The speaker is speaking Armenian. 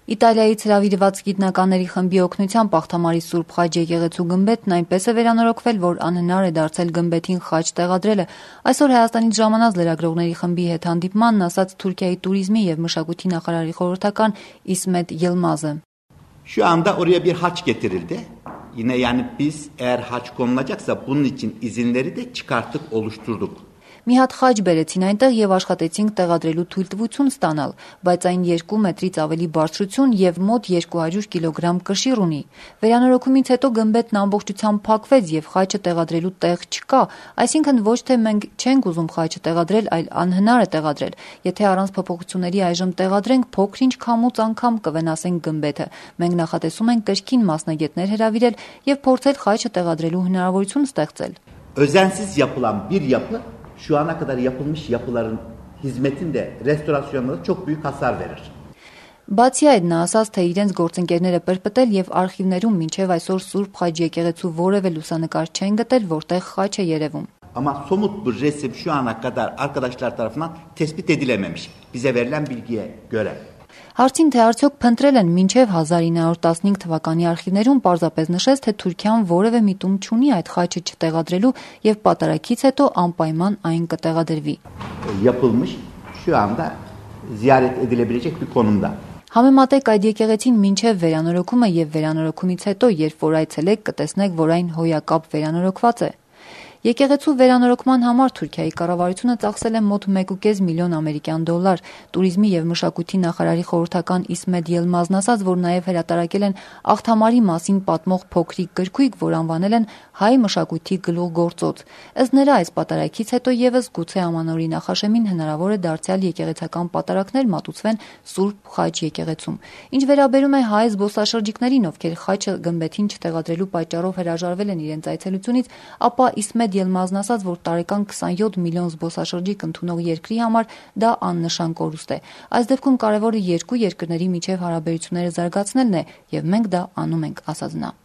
Իտալիայից հրավիրված գիտնականների խմբի օգնությամբ Աղթամարի Սուրբ Խաչ եկեղեցու գմբեթն այնպես է վերանորոգվել, որ անհնար է դարձել գմբեթին խաչ տեղադրելը։ Այսօր Հայաստանից ժամանած լրագրողների խմբի հետ հանդիպմանն ասաց Թուրքիայի туриզմի եւ մշակույթի նախարարի խորհրդական İsmet Yılmaz'ı. Şu anda oraya bir haç getirildi. Yine yani biz eğer haç konulacaksa bunun için izinleri de çıkarttık, oluşturduk. Մի հատ խաչ բերեցին այնտեղ եւ աշխատեցինք տեղադրելու թույլտվություն ստանալ, բայց այն 2 մետրից ավելի բարձրություն եւ մոտ 200 կիլոգրամ կշիռ ունի։ Վերանորոգումից հետո գմբեթն ամբողջությամբ փակվեց եւ խաչը տեղադրելու տեղ չկա, այսինքն ոչ թե մենք չենք ուզում խաչը տեղադրել, այլ անհնար է տեղադրել։ Եթե առանց փոփոխությունների այժմ տեղադրենք, փոքրինչ քամուց անգամ կվնասենք գմբեթը։ Մենք նախատեսում ենք կրկին մասնագետներ հրավիրել եւ փորձել խաչը տեղադրելու հնարավորություն ստեղծել։ Özensiz yapılan bir yapı şu ana kadar yapılmış yapıların hizmetinde, restorasyonunda çok büyük hasar verir. Բացի այդ նա ասաց, թե իրենց գործընկերները պրպտել եւ արխիվներում մինչեւ այսօր Սուրբ Խաչ եկեղեցու որևէ լուսանկար չեն գտել, որտեղ խաչ է երևում։ Ama somut bir resim şu ana kadar arkadaşlar tarafından tespit edilememiş. Bize verilen bilgiye göre. Հարցին թե արդյոք փնտրել են մինչև 1915 թվականի արխիվներում պարզապես նշեց, թե Թուրքիան որևէ միտում չունի այդ խաչը չտեղադրելու եւ պատարագից հետո անպայման այն կտեղադրվի։ Yapılmış, şu anda ziyaret edilebilecek bir konumda. Համեմատեք այդ եկեղեցին մինչև վերանորոգումը եւ վերանորոգումից հետո, երբ որ այցելեք, կտեսնեք, որ այն հոյակապ վերանորոգված է։ Եկեղեցու վերանորոգման համար Թուրքիայի կառավարությունը ծախսել է մոտ 1.5 միլիոն ամերիկյան դոլար։ Туриզմի եւ մշակույթի նախարարի խորհրդական İsmet Yılmaz'ն ասաց, որ նաեւ հրատարակել են Աղթամարի մասին պատմող փոքրիկ գրքույկ, որ անվանել են հայ մշակույթի գլուխգործոց։ Ըստ նրա այս պատարակից հետո եւս գուցե ամանորի նախաշեմին հնարավոր է դարձյալ եկեղեցական պատարակներ մատուցվեն Սուրբ Խաչ եկեղեցում։ Ինչ վերաբերում է հայ զբոսաշրջիկներին, ովքեր խաչը գմբեթին չտեղադրելու պատճառով հրաժարվել են իրենց այցելությունից, ապա İsmet Yılmaz'ն ասաց, որ տարեկան 27 միլիոն զբոսաշրջիկ ընդունող երկրի համար դա աննշան կորուստ է։ Այս դեպքում կարևորը երկու երկրների միջև հարաբերությունները զարգացնելն է, եւ մենք դա անում ենք, ասաց նա։